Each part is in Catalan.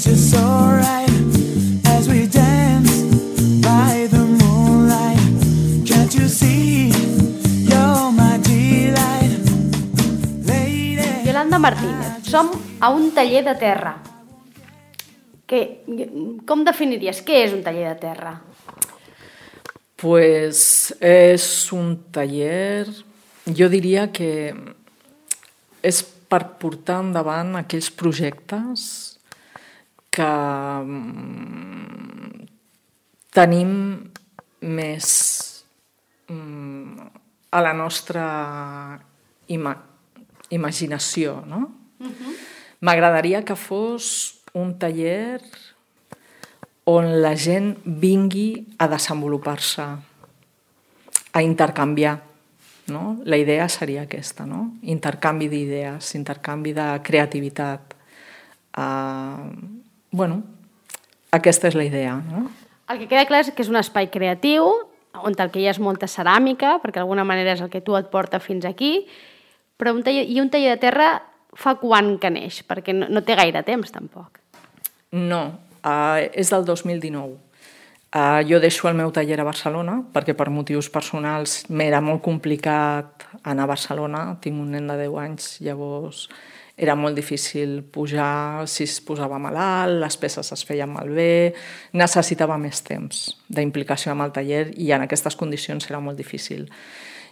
It's just so right as we dance by the moonlight. Can't you see you're my delight, lady? Yolanda Martínez, som a un taller de terra. Com definiries què és un taller de terra? Pues és un taller, jo diria que és per portar endavant aquells projectes que tenim més a la nostra imaginació, no? M'agradaria que fos un taller on la gent vingui a desenvolupar-se, a intercanviar. No? La idea seria aquesta, no? Intercanvi d'idees, intercanvi de creativitat. Aquesta és la idea. No? El que queda clar és que és un espai creatiu, on el que hi ha és molta ceràmica, perquè d'alguna manera és el que tu et porta fins aquí, però un taller de terra fa quan que neix? Perquè no té gaire temps, tampoc. No, és del 2019. Jo deixo el meu taller a Barcelona perquè per motius personals m'era molt complicat anar a Barcelona. Tinc un nen de 10 anys, llavors era molt difícil pujar, si es posava malalt, les peces es feien malbé, necessitava més temps d'implicació amb el taller i en aquestes condicions era molt difícil.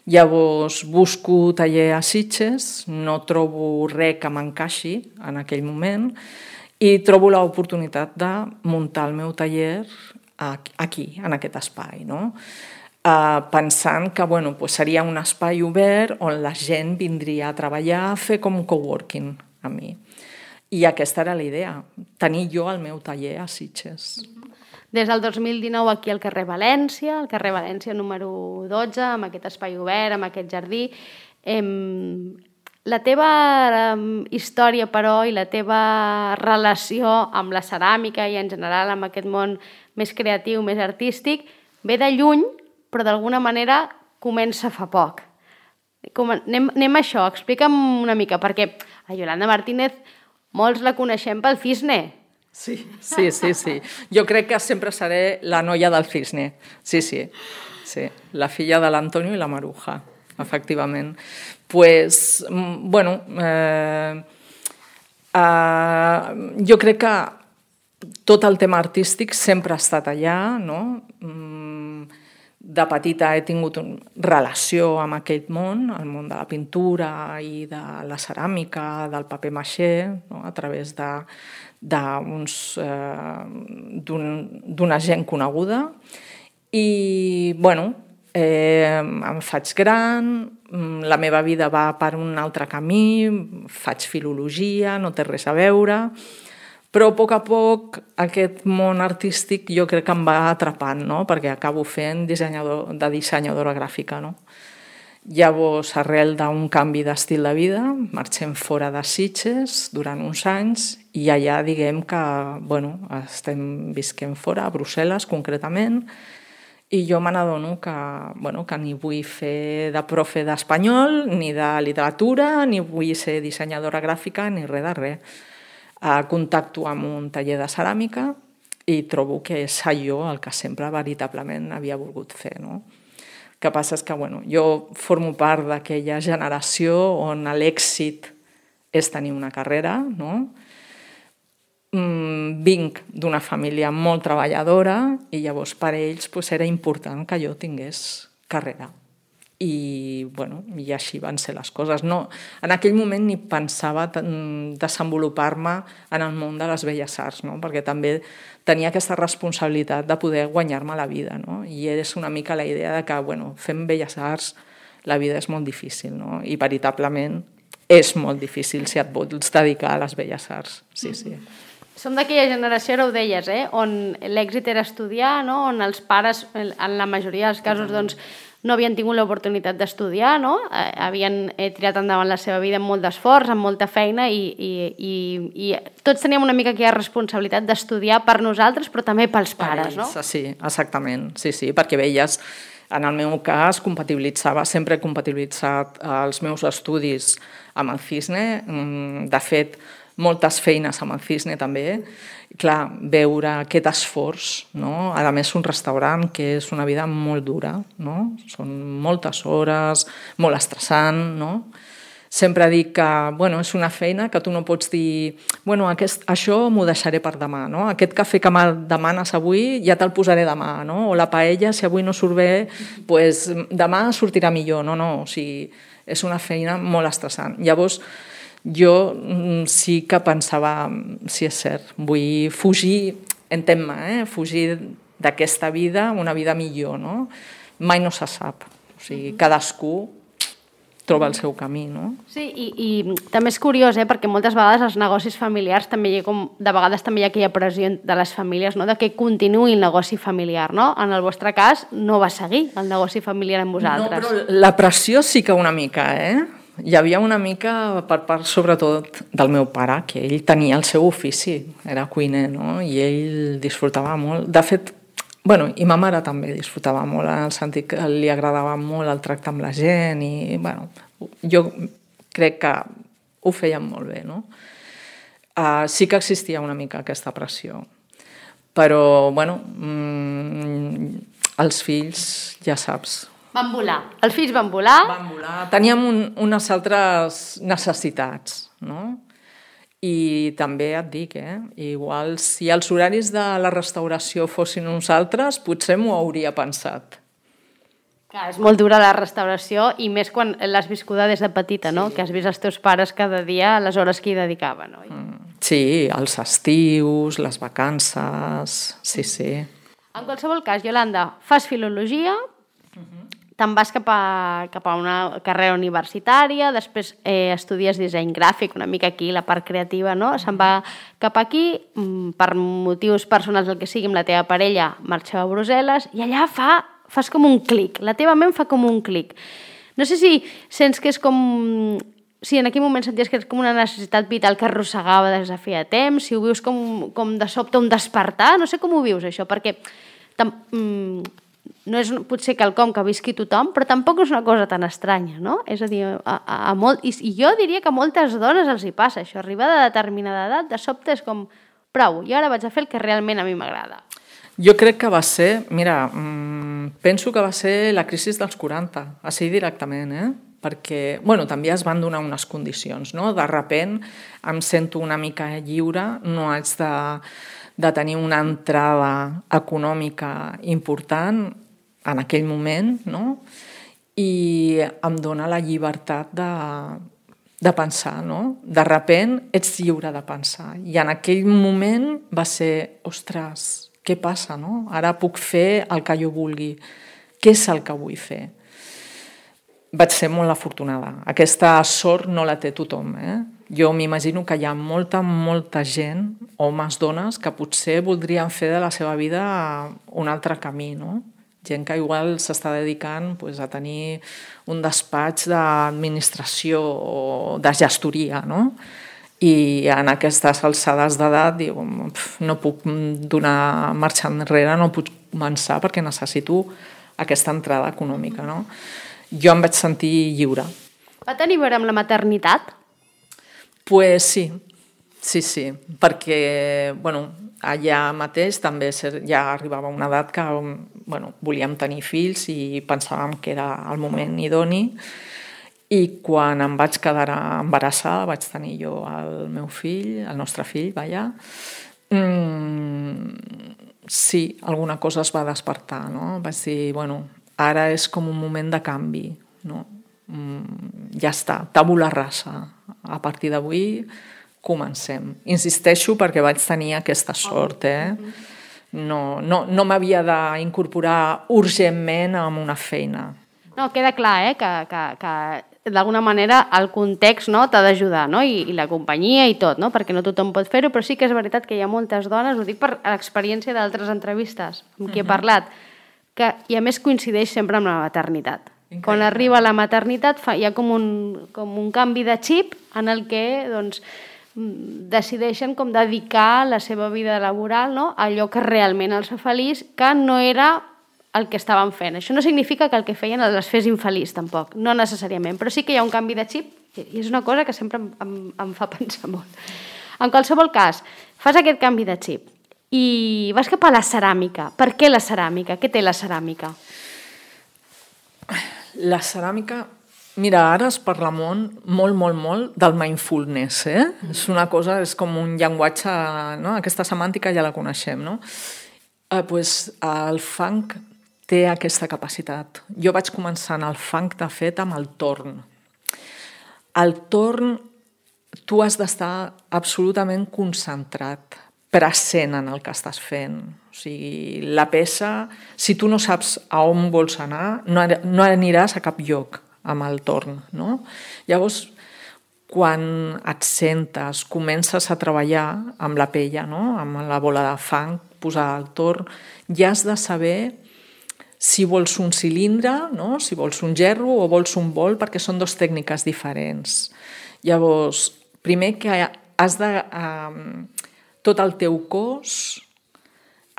Llavors busco taller a Sitges, no trobo res que m'encaixi en aquell moment i trobo l'oportunitat de muntar el meu taller aquí, en aquest espai, no? Pensant que seria un espai obert on la gent vindria a treballar, a fer com un coworking a mi. I aquesta era la idea, tenir jo el meu taller a Sitges. Des del 2019 aquí al carrer València, número 12, amb aquest espai obert, amb aquest jardí. La teva història, però, i la teva relació amb la ceràmica i en general amb aquest món més creatiu, més artístic, ve de lluny, però d'alguna manera comença fa poc. Anem a això, explica'm una mica, perquè a Yolanda Martínez molts la coneixem pel cisne. Sí. Jo crec que sempre seré la noia del cisne. Sí. La filla de l'Antonio i la Maruja, efectivament. Jo crec que tot el tema artístic sempre ha estat allà, no? De petita he tingut relació amb aquest món, el món de la pintura i de la ceràmica, del paper maixé, no? A través d'una gent coneguda. I, em faig gran, la meva vida va per un altre camí, faig filologia, no té res a veure, però a poc aquest món artístic jo crec que em va atrapant, no? Perquè acabo fent dissenyadora gràfica. No? Llavors, arrel d'un canvi d'estil de vida, marxem fora de Sitges durant uns anys i allà diguem que estem visquent fora, a Brussel·les concretament, i jo me n'adono que ni vull fer de profe d'espanyol, ni de literatura, ni vull ser dissenyadora gràfica, ni res de res. Contacto amb un taller de ceràmica i trobo que és allò el que sempre veritablement havia volgut fer. No? El que passa és que jo formo part d'aquella generació on l'èxit és tenir una carrera, no? Vinc d'una família molt treballadora i llavors per ells era important que jo tingués carrera. I així van ser les coses. No, en aquell moment ni pensava desenvolupar-me en el món de les belles arts, no? Perquè també tenia aquesta responsabilitat de poder guanyar-me la vida, no? I és una mica la idea de que fent belles arts la vida és molt difícil, no? I veritablement és molt difícil si et vols dedicar a les belles arts. Sí. Som d'aquella generació, ara ho deies, on l'èxit era estudiar, no? On els pares, en la majoria dels casos, no havien tingut l'oportunitat d'estudiar, no? Havien tirat endavant la seva vida amb molt d'esforç, amb molta feina i tots teníem una mica aquella responsabilitat d'estudiar per nosaltres, però també pels pares, no? Sí, exactament, sí, perquè veies, en el meu cas, sempre he compatibilitzat els meus estudis amb el cisne. De fet, moltes feines amb el Cisne també. I, clar, veure aquest esforç, no? A més, un restaurant que és una vida molt dura, no? Són moltes hores, molt estressant, no? Sempre dic que és una feina que tu no pots dir això m'ho deixaré per demà, no? Aquest cafè que me'l demanes avui ja te'l posaré demà, no? O la paella, si avui no surt bé, doncs demà sortirà millor, no? O sigui, és una feina molt estressant. Llavors, jo sí que pensava, sí, és cert, vull fugir, entén-me, fugir d'aquesta vida, una vida millor, no? Mai no se sap, o sigui, cadascú troba el seu camí, no? Sí, i també és curiós, perquè moltes vegades els negocis familiars també hi ha de vegades també hi ha aquella pressió de les famílies, no?, de que continuï el negoci familiar, no? En el vostre cas no va seguir el negoci familiar amb vosaltres. No, però la pressió sí que una mica, Hi havia una mica per part, sobretot, del meu pare, que ell tenia el seu ofici, era cuiner, no? I ell disfrutava molt. De fet, i ma mare també disfrutava molt, en el sentit que li agradava molt el tracte amb la gent i, jo crec que ho feien molt bé, no? Sí que existia una mica aquesta pressió, però, els fills, ja saps... Van volar. Els fills van volar. Van volar. Teníem unes altres necessitats, no? I també et dic, igual si els horaris de la restauració fossin uns altres, potser m'ho hauria pensat. Clar, és molt dura la restauració i més quan l'has viscuda des de petita, no? Que has vist els teus pares cada dia a les hores que hi dedicaven, no? Sí, els estius, les vacances, sí. En qualsevol cas, Iolanda, fas filologia, te'n vas cap a una carrera universitària, després estudies disseny gràfic, una mica aquí, la part creativa, no? Se'n va cap aquí, per motius personals, el que sigui, amb la teva parella, marxeu a Brussel·les, i allà fas com un clic, la teva ment fa com un clic. No sé si sents que és com... Si en aquell moment senties que és com una necessitat vital que arrossegava des de feia temps, si ho vius com de sobte un despertar, no sé com ho vius, això, perquè... No és potser quelcom que visqui tothom, però tampoc és una cosa tan estranya, no? És a dir, i jo diria que a moltes dones els hi passa això, arribar a determinada edat, de sobte és com, prou, i ara vaig a fer el que realment a mi m'agrada. Jo crec que va ser, penso que va ser la crisi dels 40, així directament, perquè, també es van donar unes condicions, no? De repent em sento una mica lliure, no haig de tenir una entrada econòmica important en aquell moment, no? I em dona la llibertat de pensar, no? De repent ets lliure de pensar. I en aquell moment va ser, ostres, què passa, no? Ara puc fer el que jo vulgui. Què és el que vull fer? Vaig ser molt afortunada. Aquesta sort no la té tothom, Jo m'imagino que hi ha molta gent, homes, dones, que potser voldrien fer de la seva vida un altre camí, no? Gent que igual s'està dedicant a tenir un despatx d'administració o de gestoria, no? I en aquestes alçades d'edat diu, no puc donar marxa enrere, no puc començar perquè necessito aquesta entrada econòmica, no? Jo em vaig sentir lliure. Va tenir a veure amb la maternitat? Pues sí, perquè allà mateix també ja arribava una edat que volíem tenir fills i pensàvem que era el moment idoni, i quan em vaig quedar embarassada vaig tenir jo el meu fill, el nostre fill, sí, alguna cosa es va despertar, no? Vaig dir, ara és com un moment de canvi, no? Ja està, tabula rasa. A partir d'avui comencem. Insisteixo perquè vaig tenir aquesta sort, No m'havia d'incorporar urgentment en una feina. No, queda clar, que d'alguna manera el context t'ha d'ajudar, no? I la companyia i tot, no? Perquè no tothom pot fer-ho, però sí que és veritat que hi ha moltes dones, ho dic per l'experiència d'altres entrevistes amb qui he parlat, i a més coincideix sempre amb la maternitat. Quan arriba la maternitat hi ha com un canvi de xip en el que decideixen com dedicar la seva vida laboral a allò que realment els fa feliç, que no era el que estaven fent. Això no significa que el que feien les fes infeliç, tampoc, no necessàriament, però sí que hi ha un canvi de xip i és una cosa que sempre em fa pensar molt. En qualsevol cas, fas aquest canvi de xip i vas cap a la ceràmica. Per què la ceràmica? Què té la ceràmica? La ceràmica... Mira, ara es parla molt del mindfulness, És una cosa, és com un llenguatge, no? Aquesta semàntica ja la coneixem, no? Pues, el funk té aquesta capacitat. Jo vaig començar en el funk, de fet, amb el torn. El torn, tu has d'estar absolutament concentrat, present en el que estàs fent. O sigui, la peça, si tu no saps a on vols anar, no aniràs a cap lloc amb el torn, no? Llavors, quan et sentes, comences a treballar amb la pella, no? Amb la bola de fang, posar el torn, ja has de saber si vols un cilindre, no? Si vols un gerro o vols un bol, perquè són dues tècniques diferents. Llavors, primer que has de... tot el teu cos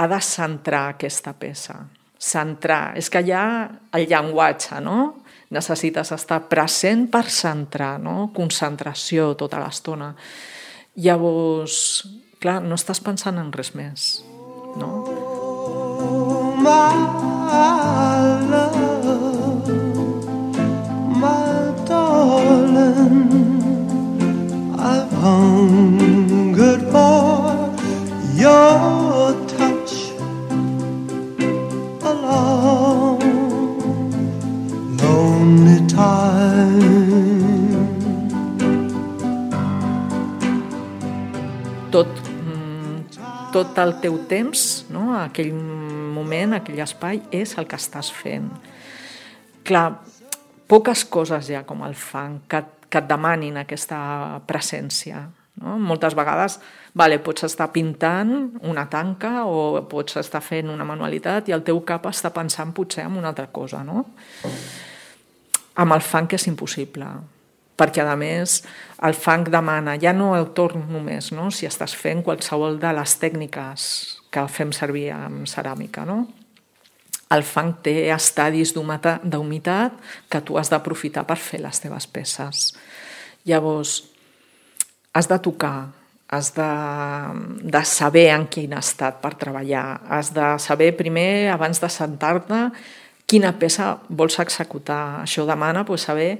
ha de centrar aquesta peça. Centrar. És que hi ha el llenguatge, no? Necessites estar present per centrar, no? Concentració tota l'estona. Llavors, clar, no estàs pensant en res més, no? My love, my darling, I've hungered for your touch a long, lonely time. Tot el teu temps, no? Aquell moment, aquell espai, és el que estàs fent. Clar, poques coses hi ha com el funk que et demanin aquesta presència, no? Moltes vegades pots estar pintant una tanca o pots estar fent una manualitat i el teu cap està pensant potser en una altra cosa, no? Amb el funk és impossible, perquè a més el funk demana ja no el torn només, no? Si estàs fent qualsevol de les tècniques que fem servir amb ceràmica, no? El funk té estadis d'humitat que tu has d'aprofitar per fer les teves peces. Llavors, has de tocar, has de saber en quin estat per treballar, has de saber primer, abans de sentar-te, quina peça vols executar. Això demana saber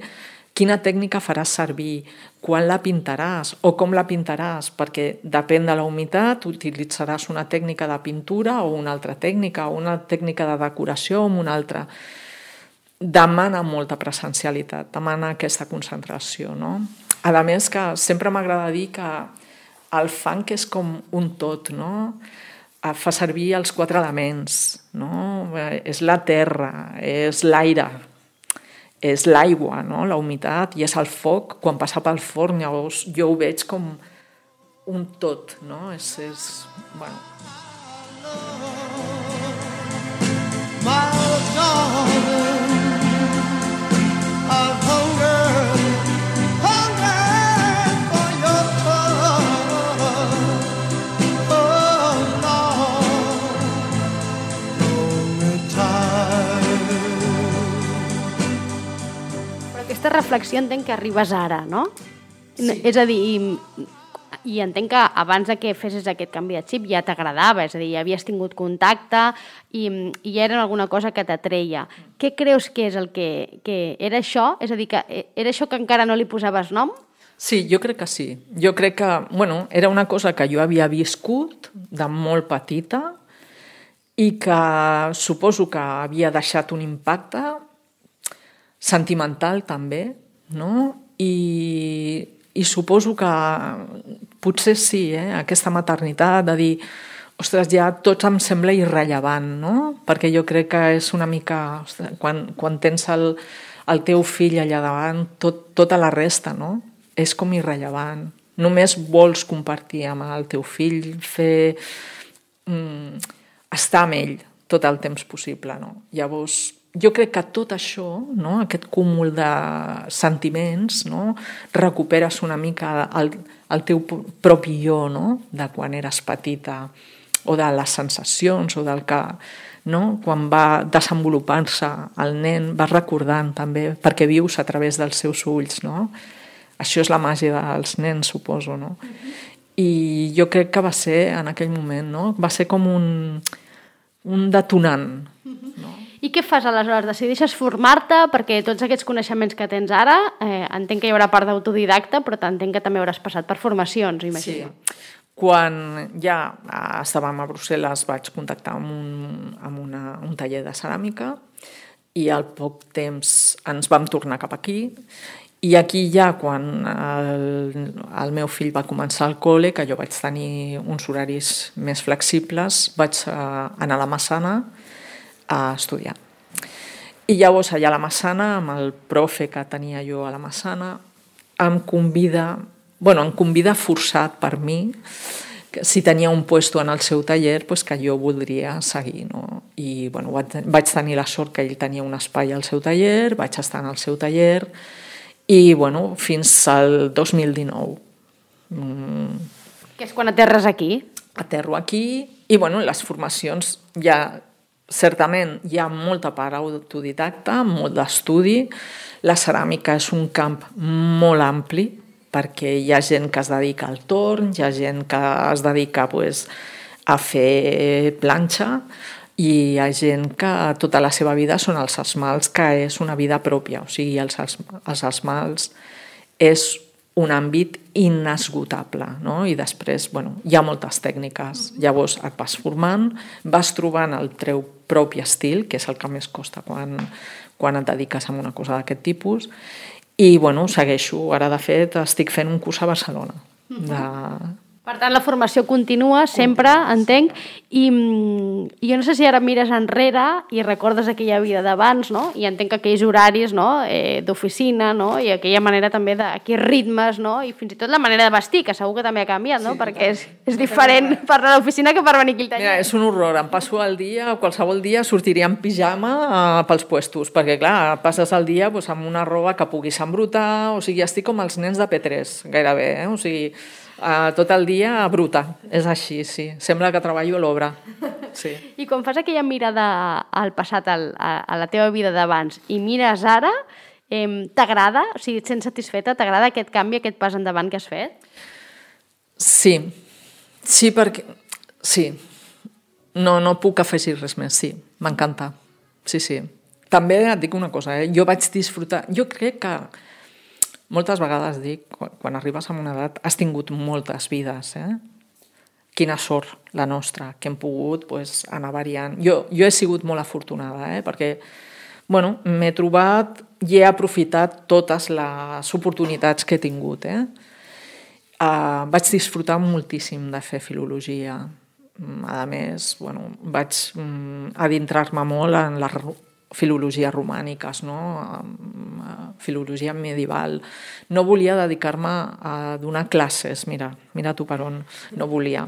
quina tècnica faràs servir, quan la pintaràs o com la pintaràs, perquè depèn de la humitat, utilitzaràs una tècnica de pintura o una altra tècnica, o una tècnica de decoració o una altra. Demana molta presencialitat, demana aquesta concentració, no? A més que sempre m'agrada dir que el funk és com un tot, no? Fa servir els 4 elements, no? És la terra, és l'aire, és l'aigua, no? La humitat, i és el foc. Quan passa pel forn, llavors jo ho veig com un tot, no? Bueno. My darling, I've hungered for your love, oh lonely time. Però aquesta reflexió entenc que arribes ara, no? Sí. És a dir, i entenc que abans que fessis aquest canvi de xip ja t'agradava, és a dir, ja havies tingut contacte i ja era alguna cosa que t'atreia. Què creus que és el que era això? És a dir, que era això que encara no li posaves nom? Sí, jo crec que sí. Jo crec que, era una cosa que jo havia viscut de molt petita i que suposo que havia deixat un impacte sentimental també, no? I suposo que potser sí, aquesta maternitat de dir, ostres, ja tot em sembla irrellevant, no? Perquè jo crec que és una mica, ostres, quan tens el teu fill allà davant, tota la resta, no? És com irrellevant. Només vols compartir amb el teu fill, estar amb ell tot el temps possible, no? Llavors, jo crec que tot això, no? Aquest cúmul de sentiments, no? Recuperes una mica el teu propi jo, no? De quan eres petita, o de les sensacions, o del que, no? Quan va desenvolupar-se el nen, vas recordant també, perquè vius a través dels seus ulls, no? Això és la màgia dels nens, suposo, no? I jo crec que va ser en aquell moment, no? Va ser com un detonant. No? I què fas aleshores? Decideixes formar-te perquè tots aquests coneixements que tens ara, entenc que hi haurà part d'autodidacta, però t'entenc que també hauràs passat per formacions, imagino. Sí. Quan ja estàvem a Brussel·les vaig contactar amb un taller de ceràmica i al poc temps ens vam tornar cap aquí. I aquí ja, quan el meu fill va començar al col·le, que jo vaig tenir uns horaris més flexibles, vaig anar a la Massana a estudiar. I llavors allà a la Massana, amb el profe que tenia jo a la Massana, em convida forçat per mi, que si tenia un puesto en el seu taller, pues que jo voldria seguir. No? I vaig tenir la sort que ell tenia un espai al seu taller, vaig estar en el seu taller, i fins al 2019. Que és quan aterres aquí? Aterro aquí i les formacions certament hi ha molta part autodidacta, molt d'estudi. La ceràmica és un camp molt ampli perquè hi ha gent que es dedica al torn, hi ha gent que es dedica a fer planxa i hi ha gent que tota la seva vida són els esmalts, que és una vida pròpia. O sigui, els esmalts és un àmbit inesgotable, no? I després, hi ha moltes tècniques. Llavors et vas formant, vas trobant el teu propi estil, que és el que més costa quan et dediques a una cosa d'aquest tipus, i segueixo. Ara, de fet, estic fent un curs a Barcelona. Per tant, la formació continua sempre, entenc, i jo no sé si ara mires enrere i recordes aquella vida d'abans, no? I entenc que aquells horaris, no? D'oficina, no? I aquella manera també d'aquells ritmes, no? I fins i tot la manera de vestir, que segur que també ha canviat, no? Sí, perquè és diferent per anar a l'oficina que per venir aquí al taller. Mira, és un horror, em passo el dia, qualsevol dia sortiria en pijama pels puestos, perquè clar, passes el dia amb una roba que puguis embrutar, o sigui, estic com els nens de P3, gairebé, o sigui, tot el dia bruta, és així, sí. Sembla que treballo a l'obra. Sí. I quan fas aquella mirada al passat, a la teva vida d'abans, i mires ara, t'agrada? O sigui, et sents satisfeta? T'agrada aquest canvi, aquest pas endavant que has fet? Sí. Sí, perquè... Sí. No puc afegir res més, sí. M'encanta. Sí. També et dic una cosa, jo vaig disfrutar... Jo crec que moltes vegades dic, quan arribes a una edat, has tingut moltes vides, Quina sort la nostra, que hem pogut anar variant. Jo he sigut molt afortunada, perquè m'he trobat i he aprofitat totes les oportunitats que he tingut. Vaig disfrutar moltíssim de fer filologia. A més, vaig adentrar-me molt en les filologies romàniques, no? Filologia medieval. No volia dedicar-me a donar classes, mira tu per on, no volia.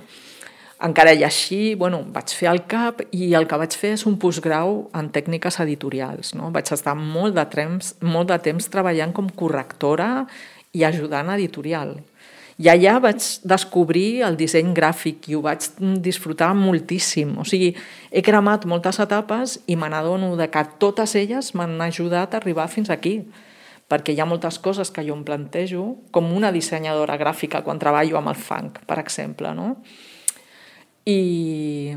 Encara i així, vaig fer el CAP i el que vaig fer és un postgrau en tècniques editorials, no? Vaig estar molt de temps treballant com correctora i ajudant editorial. I allà vaig descobrir el disseny gràfic i ho vaig disfrutar moltíssim. O sigui, he cremat moltes etapes i me n'adono que totes elles m'han ajudat a arribar fins aquí. Perquè hi ha moltes coses que jo em plantejo com una dissenyadora gràfica quan treballo amb el funk, per exemple, no? I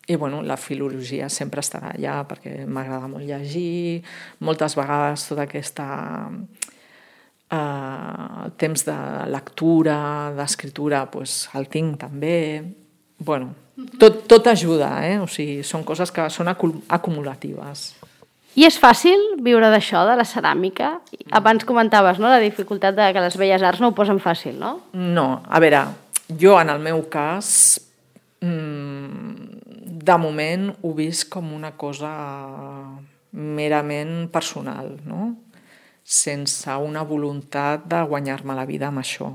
la filologia sempre estarà allà perquè m'agrada molt llegir. Moltes vegades tota aquesta... temps de lectura, d'escriptura, el tinc també. Tot ajuda, O sigui, són coses que són acumulatives. I és fàcil viure d'això, de la ceràmica? Abans comentaves, no?, la dificultat de que les belles arts no ho posen fàcil, no? No, a veure, jo en el meu cas, de moment ho vist com una cosa merament personal, no?, sense una voluntat de guanyar-me la vida amb això.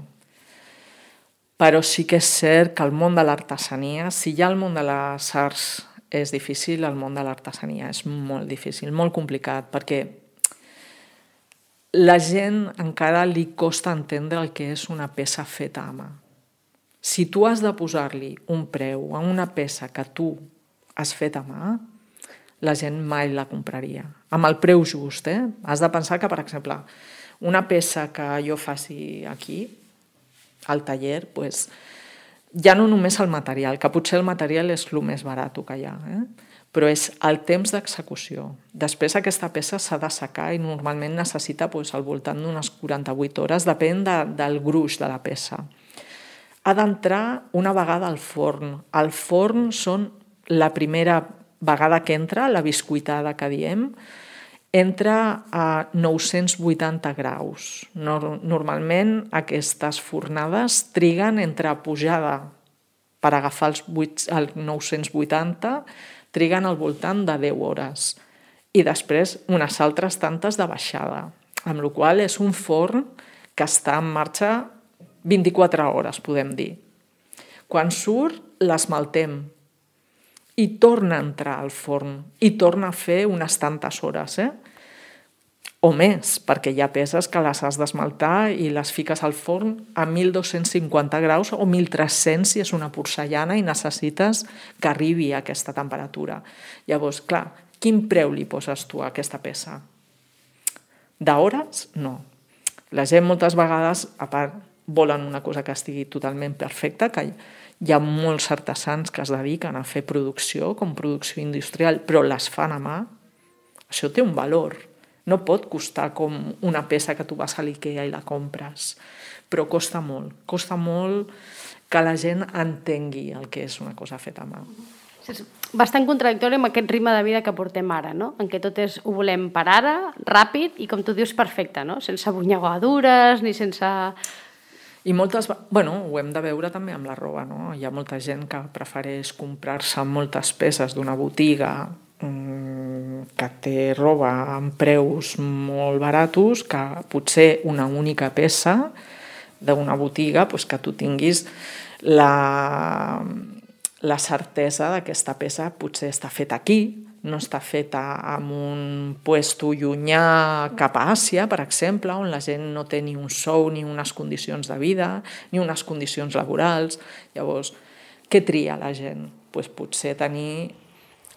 Però sí que és cert que el món de l'artesania, si ja el món de les arts és difícil, el món de l'artesania és molt difícil, molt complicat, perquè la gent encara li costa entendre el que és una peça feta a mà. Si tu has de posar-li un preu a una peça que tu has fet a mà, la gent mai la compraria. Amb el preu just, Has de pensar que, per exemple, una peça que jo faci aquí, al taller, ja no només el material, que potser el material és el més barat que hi ha, però és el temps d'execució. Després aquesta peça s'ha de secar i normalment necessita al voltant d'unes 48 hores, depèn del gruix de la peça. Ha d'entrar una vegada al forn. Al forn són la primera vegada que entra, la biscuitada que diem, entra a 980 graus. Normalment aquestes fornades triguen entre pujada per agafar el 980, triguen al voltant de 10 hores i després unes altres tantes de baixada, amb la qual cosa és un forn que està en marxa 24 hores, podem dir. Quan surt, l'esmaltem i torna a entrar al forn i torna a fer unes tantes hores, o més, perquè hi ha peces que les has d'esmaltar i les fiques al forn a 1.250 graus o 1.300 si és una porcellana i necessites que arribi a aquesta temperatura. Llavors, clar, quin preu li poses tu a aquesta peça? D'hores? No. La gent moltes vegades, a part, volen una cosa que estigui totalment perfecta, que hi ha molts artesans que es dediquen a fer producció, com producció industrial, però les fan a mà. Això té un valor. No pot costar com una peça que tu vas a l'IKEA i la compres, però costa molt que la gent entengui el que és una cosa feta a mà. És bastant contradictori amb aquest ritme de vida que portem ara, no? En què tot ho volem per ara, ràpid i, com tu dius, perfecte, no? Sense bunyegadures ni sense... I moltes... ho hem de veure també amb la roba, no? Hi ha molta gent que prefereix comprar-se moltes peces d'una botiga que té roba amb preus molt baratos, que potser una única peça d'una botiga que tu tinguis la certesa que aquesta peça potser està feta aquí, no està feta en un puesto llunyà cap a Àsia, per exemple, on la gent no té ni un sou, ni unes condicions de vida, ni unes condicions laborals. Llavors, què tria la gent? Potser tenir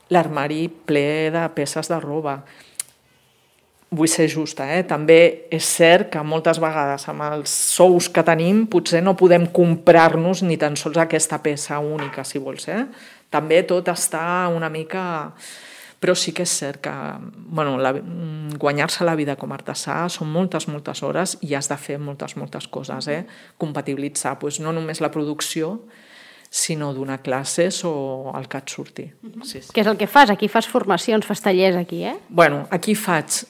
l'armari ple de peces de roba. Vull ser justa, també és cert que moltes vegades amb els sous que tenim potser no podem comprar-nos ni tan sols aquesta peça única, si vols. També tot està una mica... Però sí que és cert que guanyar-se la vida com a artesà són moltes hores i has de fer moltes coses. Compatibilitzar no només la producció, sinó donar classes o el que et surti. Sí. Què és el que fas? Aquí fas formacions, fas tallers aquí, Aquí faig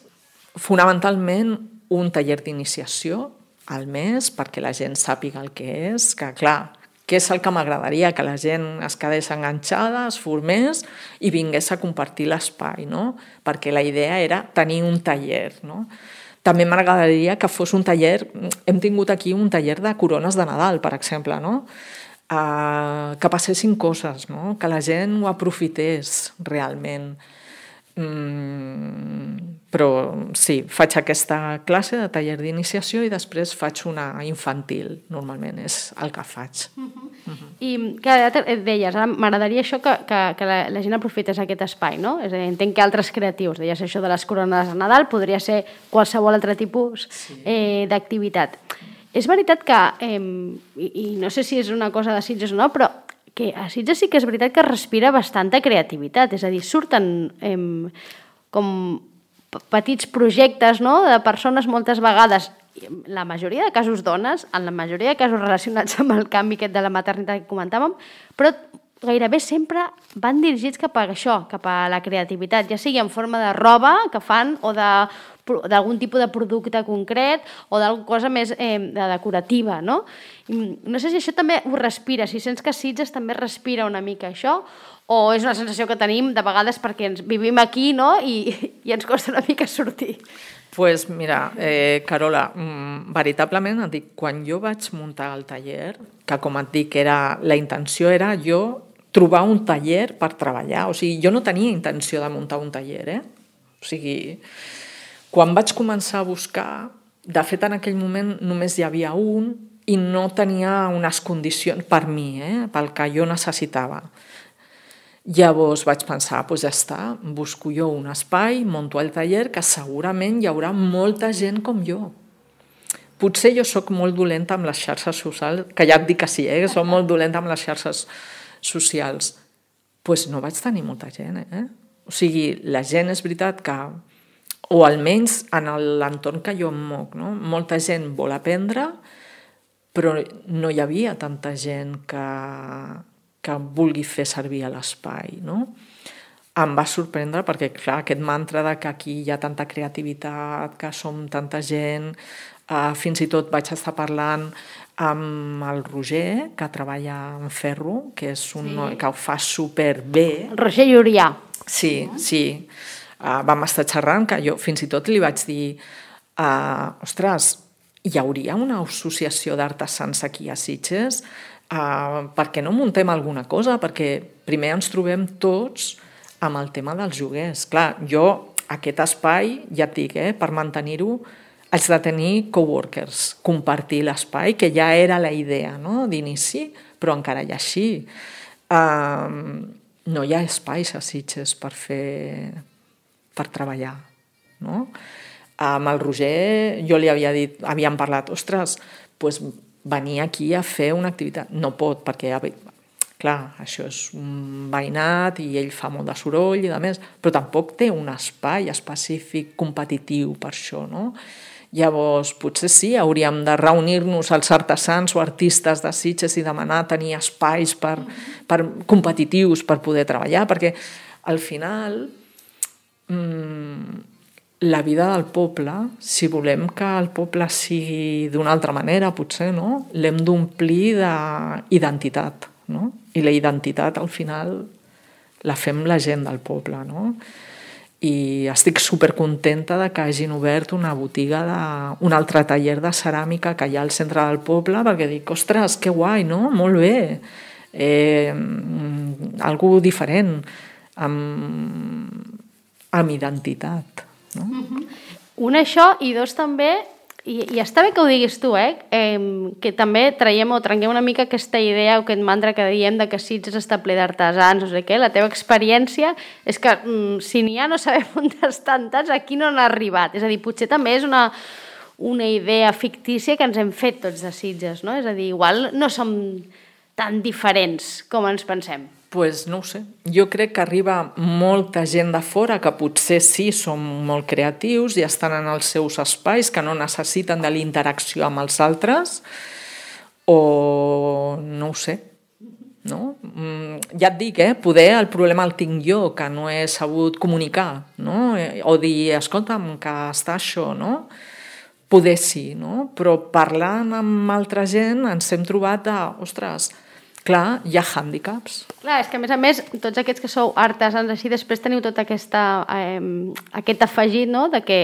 fonamentalment un taller d'iniciació al mes perquè la gent sàpiga el que és, que clar, què és el que m'agradaria, que la gent es quedés enganxada, es formés i vingués a compartir l'espai, no? Perquè la idea era tenir un taller, no? També m'agradaria que fos un taller, hem tingut aquí un taller de corones de Nadal, per exemple, no? Que passessin coses, no? Que la gent ho aprofités realment. Però sí, faig aquesta classe de taller d'iniciació i després faig una infantil, normalment és el que faig. I et deies, ara m'agradaria això que la gent aprofités aquest espai, no? És a dir, entenc que altres creatius, deies això de les corones de Nadal, podria ser qualsevol altre tipus d'activitat. És veritat que, i no sé si és una cosa de Sitges o no, però que a Sitges sí que és veritat que respira bastanta creativitat, és a dir, surten com petits projectes, no?, de persones moltes vegades, la majoria de casos dones, en la majoria de casos relacionats amb el canvi aquest de la maternitat que comentàvem, però gairebé sempre van dirigits cap a això, cap a la creativitat, ja sigui en forma de roba que fan o d'algun tipus de producte concret o d'alguna cosa més decorativa, no? No sé si això també ho respira, si sents que Sitges també respira una mica això, o és una sensació que tenim de vegades perquè ens vivim aquí, no?, i ens costa una mica sortir. Doncs mira, Carola, veritablement et dic, quan jo vaig muntar el taller, que com et dic, la intenció era jo trobar un taller per treballar, o sigui, jo no tenia intenció de muntar un taller, o sigui, quan vaig començar a buscar, de fet en aquell moment només hi havia un i no tenia unes condicions per mi, pel que jo necessitava. Llavors vaig pensar, doncs ja està, busco jo un espai, monto el taller, que segurament hi haurà molta gent com jo. Potser jo sóc molt dolenta amb les xarxes socials, que ja et dic que sí, que soc molt dolenta amb les xarxes socials. Doncs no vaig tenir molta gent, O sigui, la gent és veritat que, o almenys en l'entorn que jo em moc, no? Molta gent vol aprendre, però no hi havia tanta gent que vulgui fer servir l'espai, no? Em va sorprendre perquè, clar, aquest mantra de que aquí hi ha tanta creativitat, que som tanta gent, fins i tot vaig estar parlant amb el Roger, que treballa en ferro, que és un noi que ho fa superbé. Roger Llurià. Sí, sí. Vam estar xerrant, que jo fins i tot li vaig dir ostres, hi hauria una associació d'artesans aquí a Sitges? Per què no muntem alguna cosa? Perquè primer ens trobem tots amb el tema dels lloguers. Clar, jo aquest espai, ja et dic, per mantenir-ho, haig de tenir coworkers, compartir l'espai, que ja era la idea, no?, d'inici, però encara hi ha així. No hi ha espais a Sitges per treballar, no? Amb el Roger jo li havia dit, havíem parlat, ostres, doncs venir aquí a fer una activitat. No pot, perquè, clar, això és un veïnat i ell fa molt de soroll i de més, però tampoc té un espai específic competitiu per això, no? Llavors, potser sí, hauríem de reunir-nos els artesans o artistes de Sitges i demanar tenir espais competitius per poder treballar, perquè al final la vida del poble, si volem que el poble sigui d'una altra manera, potser, no?, l'hem d'omplir d'identitat, no? I la identitat al final la fem la gent del poble, no? I estic supercontenta de que hagin obert una botiga, un altre taller de ceràmica que hi ha al centre del poble, perquè dic, ostres, que guai, no? Molt bé. Algú diferent, amb identitat. No? Un, això, i dos, també, i està bé que ho diguis tu, que també traiem o trenquem una mica aquesta idea o aquest mantra que diem de que Sitges està ple d'artesans, no sé què. La teva experiència és que si n'hi ha no sabem on estan tants, aquí no han arribat. És a dir, potser també és una idea fictícia que ens hem fet tots de Sitges, no? És a dir, igual no som tan diferents com ens pensem. Doncs no ho sé. Jo crec que arriba molta gent de fora que potser sí som molt creatius i estan en els seus espais, que no necessiten de la interacció amb els altres, o no ho sé. No? Ja et dic, poder el problema el tinc jo, que no he sabut comunicar, no? O dir, escolta'm, que està això, no? Poder sí, no? Però parlant amb altra gent ens hem trobat ostres, clar, hi ha hàndicaps. Clar, és que a més, tots aquests que sou artesans així, després teniu tot aquest afegit, no?, de que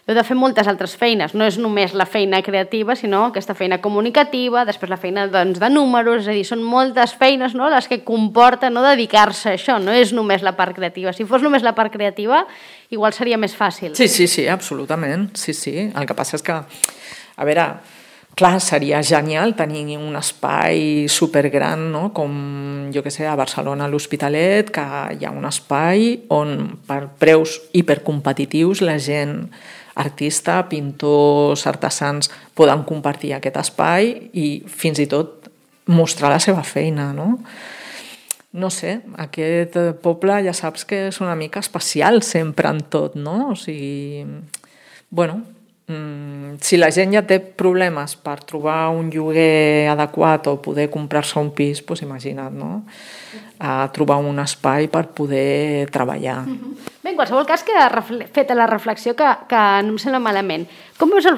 heu de fer moltes altres feines. No és només la feina creativa, sinó aquesta feina comunicativa, després la feina doncs, de números, és a dir, són moltes feines, no?, les que comporten no dedicar-se a això, no és només la part creativa. Si fos només la part creativa, igual seria més fàcil. Sí, absolutament, sí. El que passa és que, a veure, clar, seria genial tenir un espai supergran, no? Com, jo què sé, a Barcelona, a l'Hospitalet, que hi ha un espai on per preus hipercompetitius la gent, artista, pintors, artesans, poden compartir aquest espai i fins i tot mostrar la seva feina, no? No sé, aquest poble ja saps que és una mica especial sempre en tot, no? O sigui, bueno, si la gent ja té problemes per trobar un lloguer adequat o poder comprar-se un pis, doncs imagina't, no? Trobar un espai per poder treballar. Bé, en qualsevol cas queda feta la reflexió que no em sembla malament. Com veus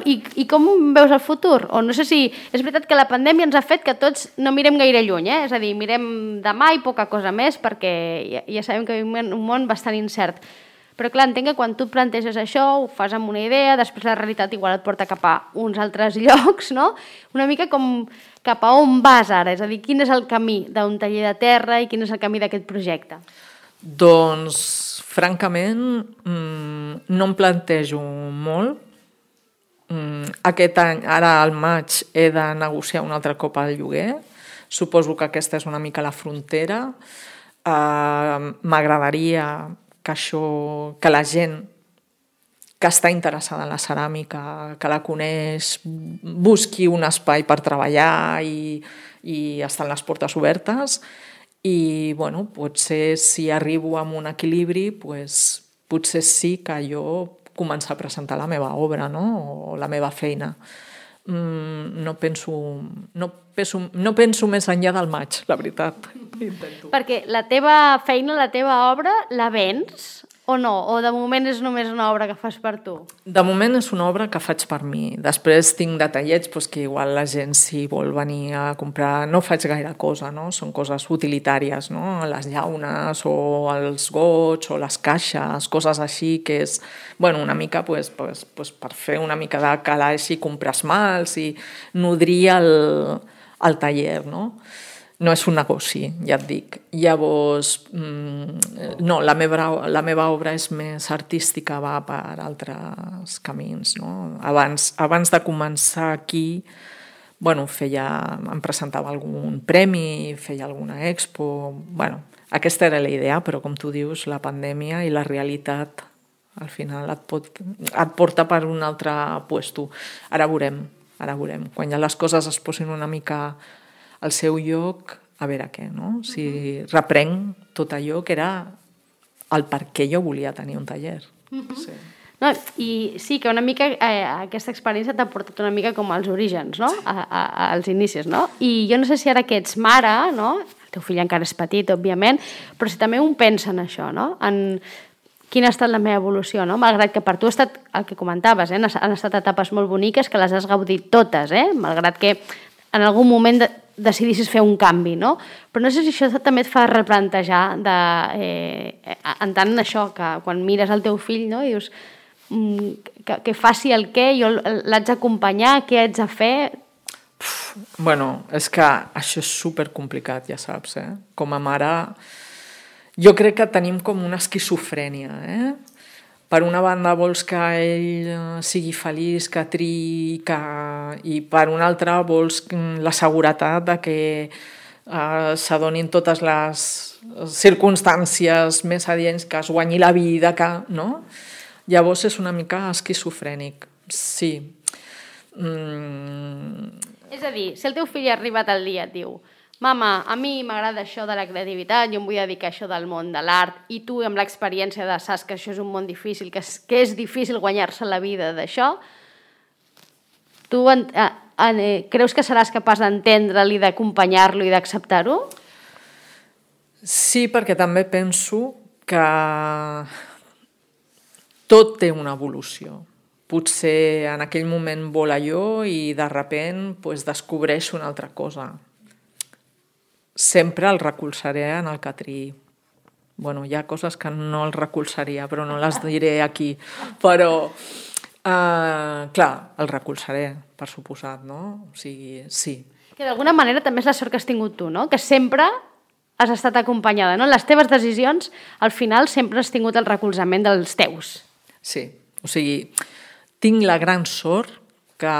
com veus el futur? O no sé si és veritat que la pandèmia ens ha fet que tots no mirem gaire lluny, és a dir, mirem demà i poca cosa més perquè ja sabem que vivim en un món bastant incert. Però clar, entenc que quan tu planteges això, ho fas amb una idea, després la realitat igual et porta cap a uns altres llocs, no? Una mica com cap a on vas ara, és a dir, quin és el camí d'un taller de terra i quin és el camí d'aquest projecte? Doncs, francament, no em plantejo molt. Aquest any, ara al maig, he de negociar un altre cop el lloguer. Suposo que aquesta és una mica la frontera. M'agradaria que la gent que està interessada en la ceràmica, que la coneix, busqui un espai per treballar i estan les portes obertes. I bueno, potser si arribo amb un equilibri, potser sí que jo començar a presentar la meva obra, no? O la meva feina. No penso més enllà del maig, la veritat. Intento. Perquè la teva feina, la teva obra, la vens o no? O de moment és només una obra que fas per tu? De moment és una obra que faig per mi. Després tinc detallets que igual la gent si vol venir a comprar... No faig gaire cosa, no? Són coses utilitàries, no? Les llaunes o els gots o les caixes, coses així que és, bueno, una mica per fer una mica de calaix i comprar esmalts i nodrir el taller, no? No és un negoci, ja et dic. Llavors, no, la meva obra és més artística, va per altres camins, no? Abans de començar aquí, bueno, em presentava algun premi, feia alguna expo... Bueno, aquesta era la idea, però com tu dius, la pandèmia i la realitat al final et porta per un altre puesto. Ara veurem. Quan ja les coses es posin una mica al seu lloc, a veure què, no? Si reprenc tot allò que era el per què jo volia tenir un taller. Sí. No, i sí que una mica aquesta experiència t'ha portat una mica com als orígens, no? Als inicis, no? I jo no sé si ara que ets mare, no? El teu fill encara és petit, òbviament, però si també un pensa en això, no? En quina ha estat la meva evolució, no? Malgrat que per tu ha estat, el que comentaves, han estat etapes molt boniques que les has gaudit totes, malgrat que en algun moment decidissis fer un canvi, no? Però no sé si això també et fa replantejar entenent això, que quan mires el teu fill, no? I dius que faci el què, jo l'haig d'acompanyar, què haig de fer... Bueno, és que això és supercomplicat, ja saps, Com a mare, jo crec que tenim com una esquizofrènia, Per una banda vols que ell sigui feliç, que triï, i per una altra vols la seguretat de que s'adonin totes les circumstàncies més adients, que es guanyi la vida, no? Llavors és una mica esquizofrènic, sí. És a dir, si el teu fill ha arribat al dia et diu mama, a mi m'agrada això de la creativitat, jo em vull dedicar a això del món de l'art, i tu amb l'experiència de saps que això és un món difícil, que és difícil guanyar-se la vida d'això, tu creus que seràs capaç d'entendre'l i d'acompanyar-lo i d'acceptar-ho? Sí, perquè també penso que tot té una evolució. Potser en aquell moment vol allò i de sobte descobreix una altra cosa. Sempre el recolzaré en el que triï. Bueno, hi ha coses que no el recolzaria, però no les diré aquí. Però, clar, el recolzaré, per suposat, no? O sigui, sí. Que d'alguna manera també és la sort que has tingut tu, no? Que sempre has estat acompanyada, no? En les teves decisions, al final, sempre has tingut el recolzament dels teus. Sí, o sigui, tinc la gran sort que,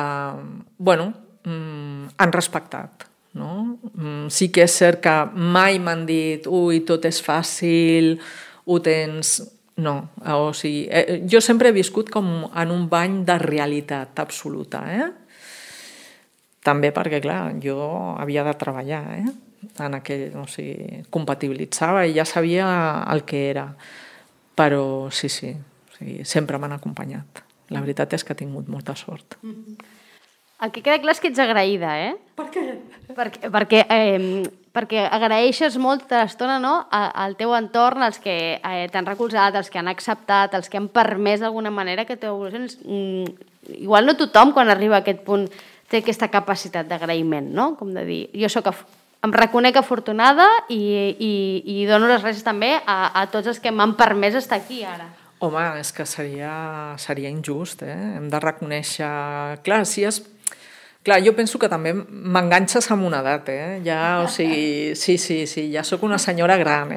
bueno, han respectat. No? Sí que és cert que mai m'han dit ui, tot és fàcil, ho tens... No, o sigui, jo sempre he viscut com en un bany de realitat absoluta, També perquè, clar, jo havia de treballar, en aquell, o sigui, compatibilitzava i ja sabia el que era. Però sí, o sigui, sempre m'han acompanyat. La veritat és que he tingut molta sort. El que queda clar és que ets agraïda, Per què? Perquè agraeixes molt de l'estona, no?, al teu entorn, als que t'han recolzat, als que han acceptat, als que han permès d'alguna manera que t'evolucionis. Igual no tothom, quan arriba a aquest punt, té aquesta capacitat d'agraïment, no? Com de dir, jo em reconec afortunada i dono les gràcies també a tots els que m'han permès estar aquí ara. Home, és que seria injust, Hem de reconèixer... Clar, jo penso que també m'enganxes amb una edat, Ja, o sigui, sí, ja sóc una senyora gran,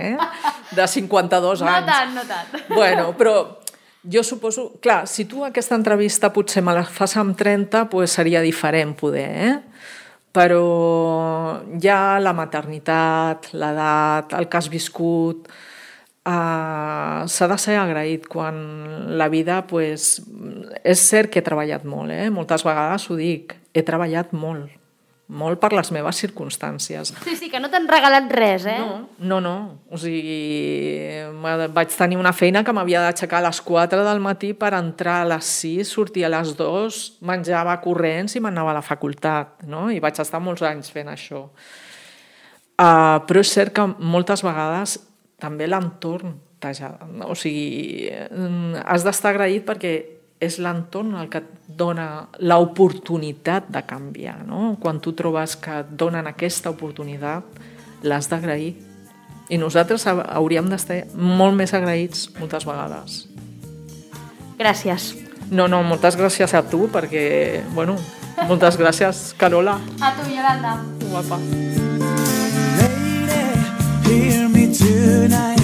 de 52 anys. No tant. Bueno, però jo suposo... Clar, si tu aquesta entrevista potser me la fas amb 30, doncs seria diferent, poder, Però ja la maternitat, l'edat, el que has viscut... s'ha de ser agraït quan la vida, pues, és cert que he treballat molt, moltes vegades ho dic, he treballat molt per les meves circumstàncies. Sí, que no t'han regalat res, No. O sigui, vaig tenir una feina que m'havia d'aixecar a les 4 del matí per entrar a les 6, sortir a les 2, menjava corrents i m'anava a la facultat, no? I vaig estar molts anys fent això. Però és cert que moltes vegades també l'entorn o sigui, has d'estar agraït perquè és l'entorn el que et dona l'oportunitat de canviar, no? Quan tu trobes que et donen aquesta oportunitat, l'has d'agrair. I nosaltres hauríem d'estar molt més agraïts moltes vegades. Gràcies. No, moltes gràcies a tu, perquè, bueno, moltes gràcies, Carola. A tu, Yolanda. Guapa. Lady, hear me tonight.